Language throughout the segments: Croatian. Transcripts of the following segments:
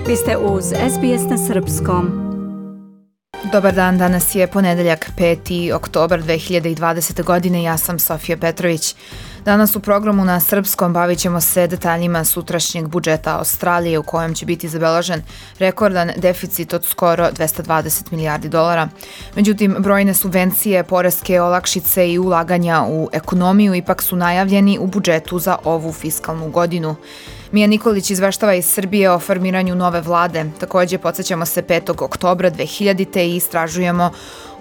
Vi ste uz SBS na Srpskom. Dobar dan, danas je ponedeljak 5. oktobar 2020. godine, ja sam Sofija Petrović. Danas u programu na Srpskom bavit ćemo se detaljima sutrašnjeg budžeta Australije u kojem će biti zabeležen rekordan deficit od skoro 220 milijardi dolara. Međutim, brojne subvencije, poreske olakšice i ulaganja u ekonomiju ipak su najavljeni u budžetu za ovu fiskalnu godinu. Mija Nikolić izveštava iz Srbije o formiranju nove vlade. Također podsjećamo se 5. oktobra 2000. i istražujemo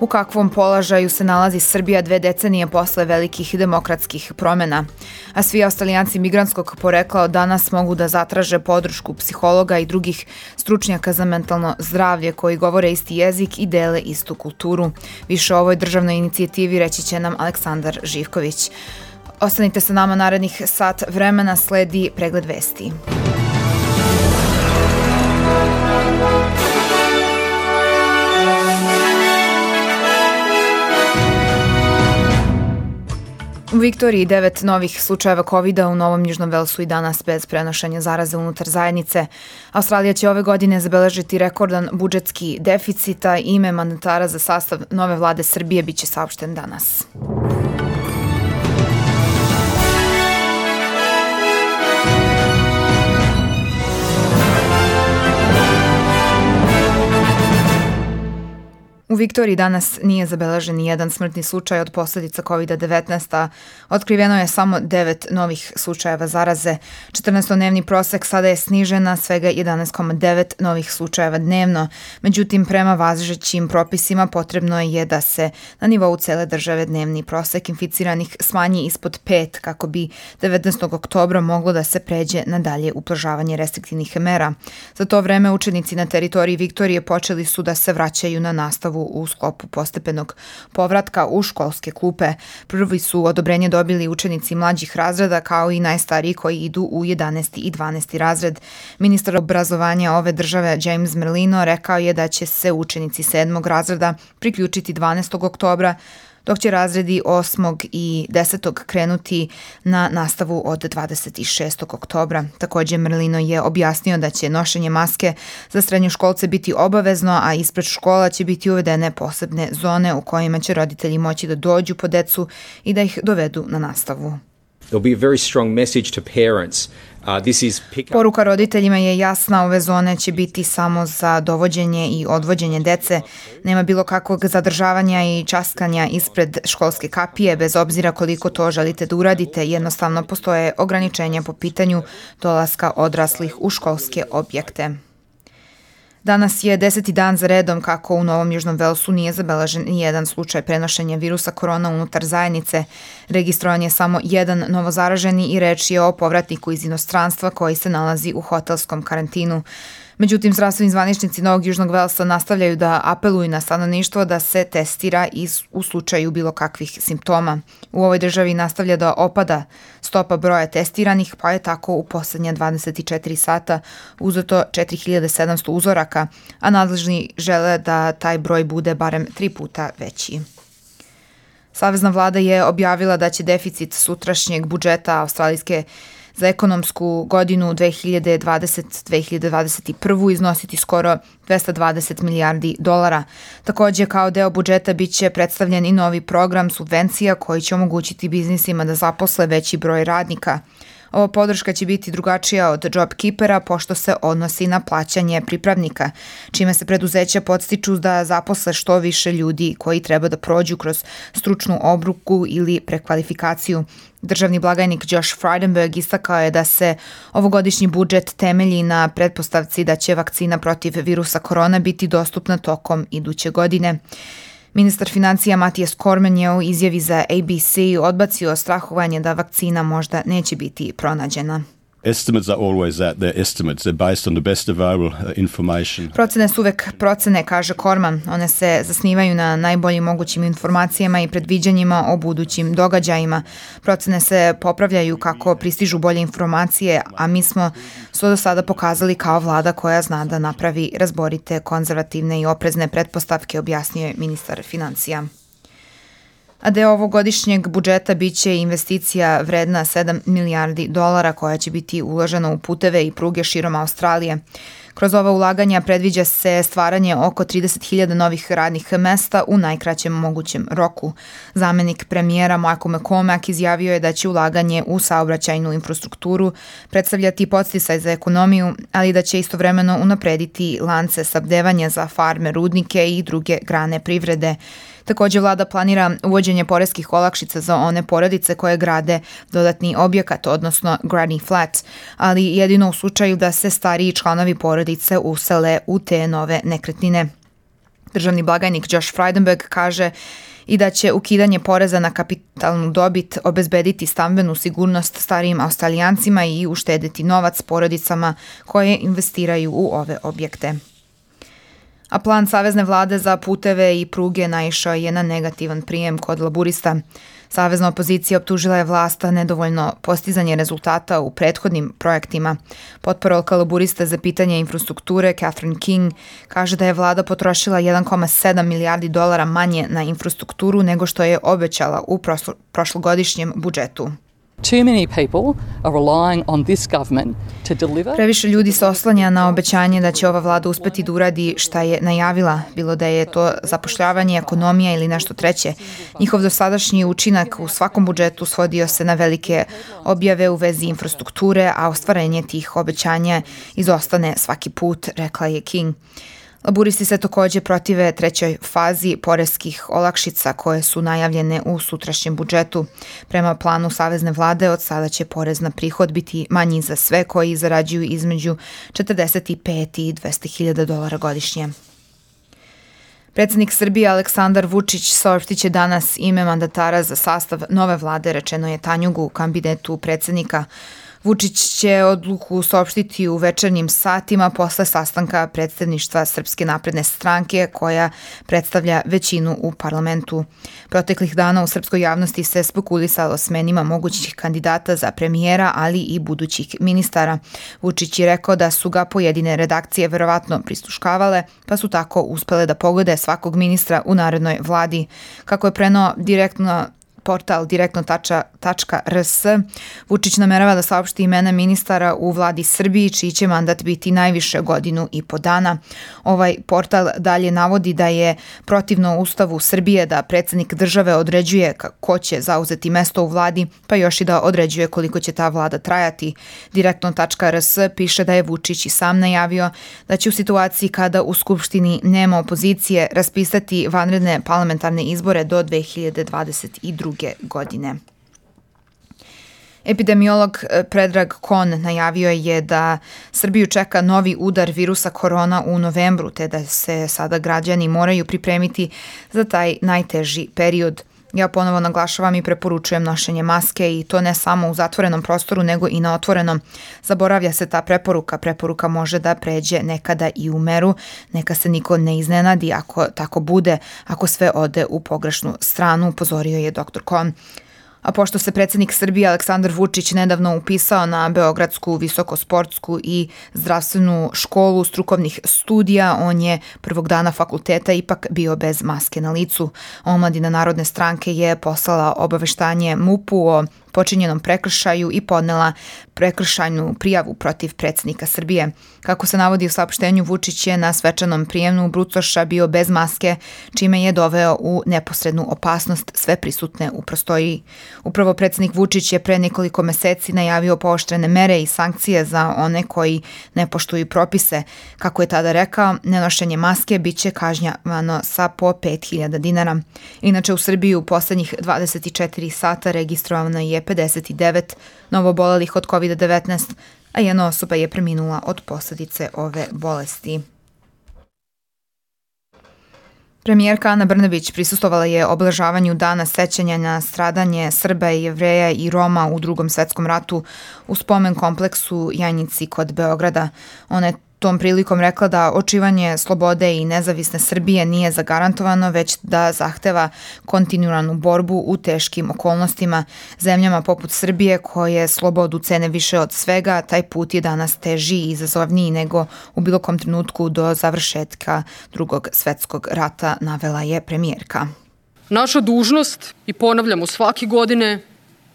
u kakvom položaju se nalazi Srbija 2 decenije posle velikih demokratskih promjena. A svi Australijanci migrantskog porekla od danas mogu da zatraže podršku psihologa i drugih stručnjaka za mentalno zdravlje koji govore isti jezik i dele istu kulturu. Više o ovoj državnoj inicijativi reći će nam Aleksandar Živković. Ostanite sa nama narednih sat vremena, sledi pregled vesti. U Viktoriji 9 novih slučajeva COVID-a, u Novom Južnom Velsu i danas bez prenošenja zaraze unutar zajednice. Australija će ove godine zabeležiti rekordan budžetski deficit, a ime mandatara za sastav nove vlade Srbije biće saopšten danas. U Viktoriji danas nije zabeležen ni jedan smrtni slučaj od posljedica COVID-19, a otkriveno je samo 9 novih slučajeva zaraze. 14-dnevni prosek sada je snižen na svega 11,9 novih slučajeva dnevno. Međutim, prema važećim propisima potrebno je da se na nivou cele države dnevni prosek inficiranih smanji ispod 5 kako bi 19. oktobra moglo da se pređe na dalje ublažavanje restriktivnih mera. Za to vreme učenici na teritoriji Viktorije počeli su da se vraćaju na nastavu u sklopu postepenog povratka u školske klupe. Prvi su odobrenje dobili učenici mlađih razreda kao i najstariji koji idu u 11. i 12. razred. Ministar obrazovanja ove države James Merlino rekao je da će se učenici 7. razreda priključiti 12. oktobra, dok će razredi 8. i 10. krenuti na nastavu od 26. oktobra. Također Merlino je objasnio da će nošenje maske za srednjoškolce biti obavezno, a ispred škola će biti uvedene posebne zone u kojima će roditelji moći da dođu po decu i da ih dovedu na nastavu. Poruka roditeljima je jasna, ove zone će biti samo za dovođenje i odvođenje dece. Nema bilo kakvog zadržavanja i časkanja ispred školske kapije, bez obzira koliko to želite da uradite. Jednostavno postoje ograničenja po pitanju dolaska odraslih u školske objekte. Danas je 10. dan za redom kako u Novom Južnom Velsu nije zabeležen ni jedan slučaj prenošenja virusa korona unutar zajednice. Registrovan je samo jedan novozaraženi i reč je o povratniku iz inostranstva koji se nalazi u hotelskom karantinu. Međutim, zdravstveni zvaničnici Novog Južnog Velsa nastavljaju da apeluju na stanovništvo da se testira u slučaju bilo kakvih simptoma. U ovoj državi nastavlja da opada stopa broja testiranih, pa je tako u posljednja 24 sata uzeto 4700 uzoraka, a nadležni žele da taj broj bude barem 3 puta veći. Savezna vlada je objavila da će deficit sutrašnjeg budžeta australijske za ekonomsku godinu 2020-2021 iznositi skoro 220 milijardi dolara. Također, kao deo budžeta bit će predstavljen i novi program subvencija koji će omogućiti biznisima da zaposle veći broj radnika. Ova podrška će biti drugačija od JobKeepera pošto se odnosi na plaćanje pripravnika, čime se preduzeća podstiču da zaposle što više ljudi koji treba da prođu kroz stručnu obuku ili prekvalifikaciju. Državni blagajnik Josh Frydenberg istakao je da se ovogodišnji budžet temelji na pretpostavci da će vakcina protiv virusa korona biti dostupna tokom iduće godine. Ministar financija Matijas Cormann je u izjavi za ABC odbacio strahovanje da vakcina možda neće biti pronađena. Estimates are always that. They're estimates. They're based on the best available information. Procene su uvek procene, kaže Cormann. One se zasnivaju na najboljim mogućim informacijama i predviđanjima o budućim događajima. Procene se popravljaju kako pristižu bolje informacije, a mi smo do sada pokazali kao vlada koja zna da napravi razborite, konzervativne i oprezne pretpostavke, objasnio je ministar financija. A deo ovogodišnjeg budžeta biće investicija vredna 7 milijardi dolara koja će biti uložena u puteve i pruge širom Australije. Kroz ova ulaganja predviđa se stvaranje oko 30.000 novih radnih mesta u najkraćem mogućem roku. Zamenik premijera Michael McCormack izjavio je da će ulaganje u saobraćajnu infrastrukturu predstavljati podsticaj za ekonomiju, ali da će istovremeno unaprediti lance snabdevanja za farme, rudnike i druge grane privrede. Također vlada planira uvođenje poreskih olakšica za one porodice koje grade dodatni objekat, odnosno granny flat, ali jedino u slučaju da se stariji članovi porodice usele u te nove nekretnine. Državni blagajnik Josh Frydenberg kaže i da će ukidanje poreza na kapitalnu dobit obezbediti stambenu sigurnost starijim Australijancima i uštedeti novac porodicama koje investiraju u ove objekte. A plan savezne vlade za puteve i pruge naišao je na negativan prijem kod laburista. Savezna opozicija optužila je vlast za nedovoljno postizanje rezultata u prethodnim projektima. Potporolka laburista za pitanje infrastrukture Catherine King kaže da je vlada potrošila 1,7 milijardi dolara manje na infrastrukturu nego što je obećala u prošlogodišnjem budžetu. Too many people are relying on this government to deliver. Previše ljudi se oslanja na obećanje da će ova vlada uspeti da uradi šta je najavila, bilo da je to zapošljavanje, ekonomija ili nešto treće. Njihov dosadašnji učinak u svakom budžetu svodio se na velike objave u vezi infrastrukture, a ostvarenje tih obećanja izostane svaki put, rekla je King. Laburisti se također protive trećoj fazi poreskih olakšica koje su najavljene u sutrašnjem budžetu. Prema planu savezne vlade od sada će porez na prihod biti manji za sve koji zarađuju između 45 i 200.000 dolara godišnje. Predsjednik Srbije Aleksandar Vučić saopštiće danas ime mandatara za sastav nove vlade, rečeno je Tanjugu, kabinetu predsjednika. Vučić će odluku saopštiti u večernjim satima posle sastanka predstavništva Srpske napredne stranke koja predstavlja većinu u parlamentu. Proteklih dana u srpskoj javnosti se spekulisalo smenima mogućih kandidata za premijera, ali i budućih ministara. Vučić je rekao da su ga pojedine redakcije verovatno prisluškavale, pa su tako uspele da pogode svakog ministra u narednoj vladi. Kako je preneo portal direktno.rs, Vučić namerava da saopšti imena ministara u vladi Srbiji, čiji će mandat biti najviše 1.5 dana. Ovaj portal dalje navodi da je protivno Ustavu Srbije da predsjednik države određuje ko će zauzeti mesto u vladi, pa još i da određuje koliko će ta vlada trajati. Direktno.rs piše da je Vučić i sam najavio da će u situaciji kada u Skupštini nema opozicije raspisati vanredne parlamentarne izbore do 2022. godine. Epidemiolog Predrag Kon najavio je da Srbiju čeka novi udar virusa korona u novembru, te da se sada građani moraju pripremiti za taj najteži period. Ja ponovo naglašavam i preporučujem nošenje maske i to ne samo u zatvorenom prostoru nego i na otvorenom. Zaboravlja se ta preporuka. Preporuka može da pređe nekada i u meru. Neka se niko ne iznenadi ako tako bude, ako sve ode u pogrešnu stranu, upozorio je dr. Kon. A pošto se predsjednik Srbije Aleksandar Vučić nedavno upisao na Beogradsku visokosportsku i zdravstvenu školu strukovnih studija, on je prvog dana fakulteta ipak bio bez maske na licu. Omladina Narodne stranke je poslala obaveštanje MUP-u o počinjenom prekršaju i podnela prekršajnu prijavu protiv predsjednika Srbije. Kako se navodi u saopštenju, Vučić je na svečanom prijemu brucoša bio bez maske, čime je doveo u neposrednu opasnost sve prisutne u prostoriji. Upravo predsjednik Vučić je pre nekoliko meseci najavio pooštrene mere i sankcije za one koji ne poštuju propise. Kako je tada rekao, nenošenje maske bit će kažnjavano sa po 5.000 dinara. Inače, u Srbiji u poslednjih 24 sata registrovano je 59 novobolelih od COVID-19, a jedna osoba je preminula od posljedice ove bolesti. Premijerka Ana Brnabić prisustvovala je obeležavanju Dana sećanja na stradanje Srba, Jevreja i Roma u Drugom svetskom ratu u spomen kompleksu Janjici kod Beograda. Ona je tom prilikom rekla da očuvanje slobode i nezavisne Srbije nije zagarantovano, već da zahteva kontinuiranu borbu u teškim okolnostima. Zemljama poput Srbije koje slobodu cene više od svega, taj put je danas teži i izazovniji nego u bilo kom trenutku do završetka Drugog svetskog rata, navela je premijerka. Naša dužnost, i ponavljamo svake godine,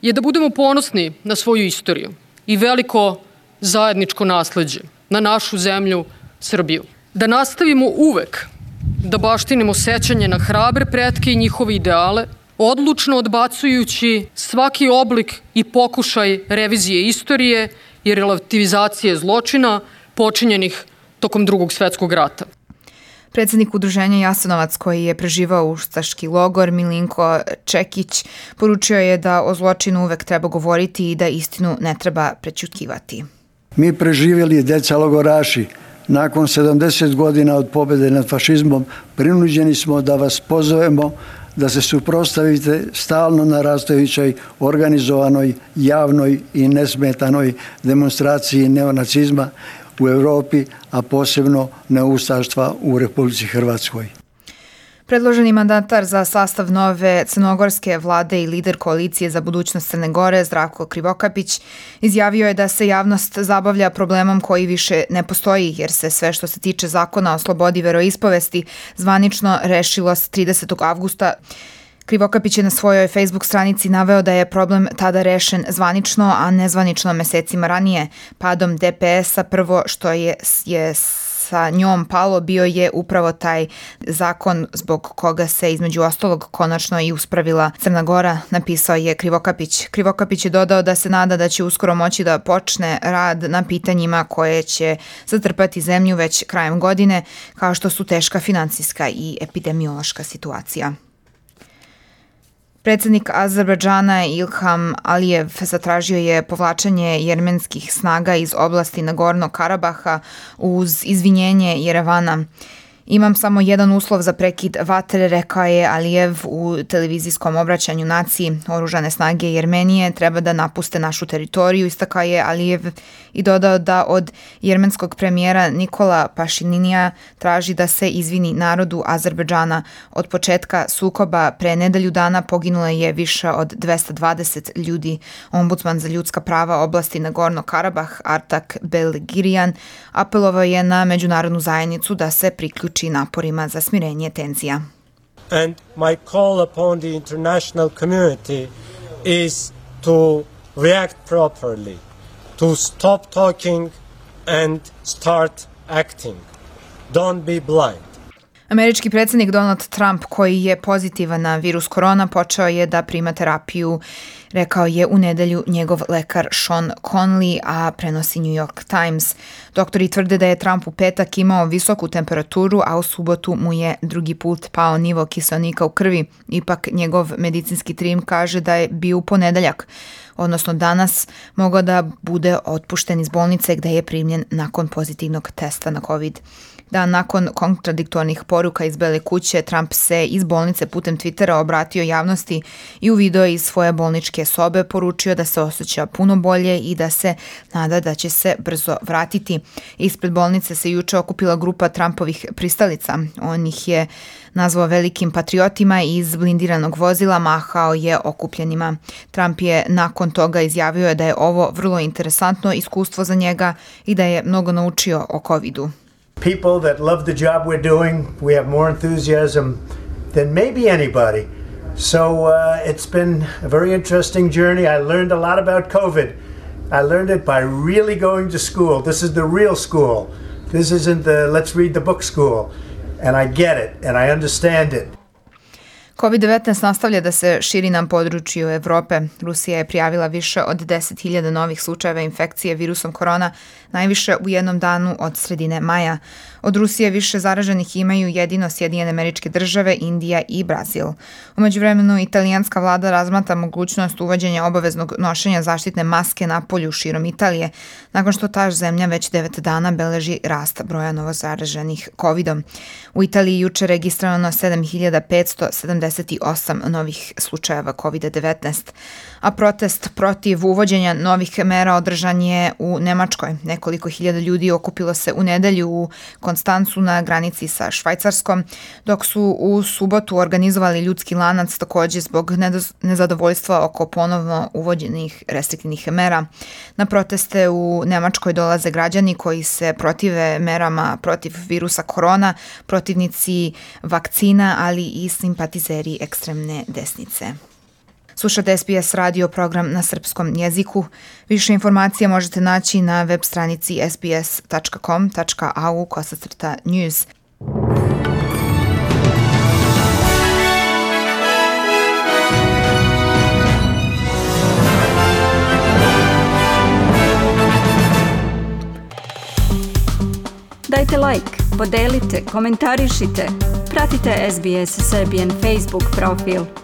je da budemo ponosni na svoju istoriju i veliko zajedničko nasleđe, na našu zemlju, Srbiju. Da nastavimo uvek da baštinimo sećanje na hrabre pretke i njihove ideale, odlučno odbacujući svaki oblik i pokušaj revizije istorije i relativizacije zločina počinjenih tokom Drugog svjetskog rata. Predsjednik udruženja Jasenovac, koji je preživao ustaški logor, Milinko Čekić, poručio je da o zločinu uvek treba govoriti i da istinu ne treba prećutkivati. Mi preživjeli djeca logoraši. Nakon 70 godina od pobjede nad fašizmom prinuđeni smo da vas pozovemo da se suprotstavite stalno narastajućoj organizovanoj, javnoj i nesmetanoj demonstraciji neonacizma u Europi, a posebno neustaštva u Republici Hrvatskoj. Predloženi mandatar za sastav nove crnogorske vlade i lider koalicije za budućnost Crne Gore, Zdravko Krivokapić, izjavio je da se javnost zabavlja problemom koji više ne postoji, jer se sve što se tiče zakona o slobodi veroispovesti zvanično rešilo 30. avgusta. Krivokapić je na svojoj Facebook stranici naveo da je problem tada rešen zvanično, a nezvanično mesecima ranije. Padom DPS-a prvo što je sa njom palo bio je upravo taj zakon zbog koga se između ostalog konačno i uspravila Crna Gora, napisao je Krivokapić. Krivokapić je dodao da se nada da će uskoro moći da počne rad na pitanjima koje će zatrpati zemlju već krajem godine, kao što su teška finansijska i epidemiološka situacija. Predsjednik Azerbejdžana Ilham Alijev zatražio je povlačenje jermenskih snaga iz oblasti Nagornog Karabaha uz izvinjenje Jerevana. Imam samo jedan uslov za prekid vatre, rekao je Alijev u televizijskom obraćanju naciji. Oružane snage Jermenije treba da napuste našu teritoriju, istakao je Alijev i dodao da od jermenskog premijera Nikola Pašininija traži da se izvini narodu Azerbejdžana. Od početka sukoba pre nedelju dana poginulo je više od 220 ljudi. Ombudsman za ljudska prava oblasti Nagorno Karabah Artak Belgirian apelovao je na međunarodnu zajednicu da se priključi naporima za smirenje tenzija. And my call upon the international community is to react properly, to stop talking and start acting. Don't be blind. Američki predsjednik Donald Trump, koji je pozitivan na virus korona, počeo je da prima terapiju, rekao je u nedelju njegov lekar Sean Conley, a prenosi New York Times. Doktori tvrde da je Trump u petak imao visoku temperaturu, a u subotu mu je drugi put pao nivo kiseonika u krvi. Ipak njegov medicinski tim kaže da je bio u ponedeljak, odnosno danas, mogao da bude otpušten iz bolnice gde je primljen nakon pozitivnog testa na COVID. Dan nakon kontradiktornih poruka iz Bele kuće, Trump se iz bolnice putem Twittera obratio javnosti i u video iz svoje bolničke sobe poručio da se osjeća puno bolje i da se nada da će se brzo vratiti. Ispred bolnice se juče okupila grupa Trumpovih pristalica. On ih je nazvao velikim patriotima i iz blindiranog vozila mahao je okupljenima. Trump je nakon toga izjavio da je ovo vrlo interesantno iskustvo za njega i da je mnogo naučio o COVID-u. People that love the job we're doing, we have more enthusiasm than maybe anybody. So it's been a very interesting journey. I learned a lot about COVID. I learned it by really going to school. This is the real school. This isn't the let's read the book school. And I get it and I understand it. COVID-19 nastavlja da se širi na području Evrope. Rusija je prijavila više od 10.000 novih slučajeva infekcije virusom korona, najviše u jednom danu od sredine maja. Od Rusije više zaraženih imaju jedino Sjedinjene Američke Države, Indija i Brazil. U međuvremenu italijanska vlada razmatra mogućnost uvođenja obaveznog nošenja zaštitne maske na polju širom Italije, nakon što ta zemlja već 9 dana beleži rast broja novozaraženih COVID-om. U Italiji juče registrovano 7.578 novih slučajeva COVID-19, a protest protiv uvođenja novih mera održan je u Nemačkoj. Nekoliko hiljada ljudi okupilo se u nedelju u Konstancu na granici sa Švajcarskom, dok su u subotu organizovali ljudski lanac takođe zbog nezadovoljstva oko ponovno uvođenih restriktivnih mera. Na proteste u Nemačkoj dolaze građani koji se protive merama protiv virusa korona, protivnici vakcina, ali i simpatizeri ekstremne desnice. Slušate SBS radio program na srpskom jeziku. Više informacija možete naći na web stranici sbs.com.au/news. Dajte like, podelite, komentarišite. Pratite SBS Serbian Facebook profil.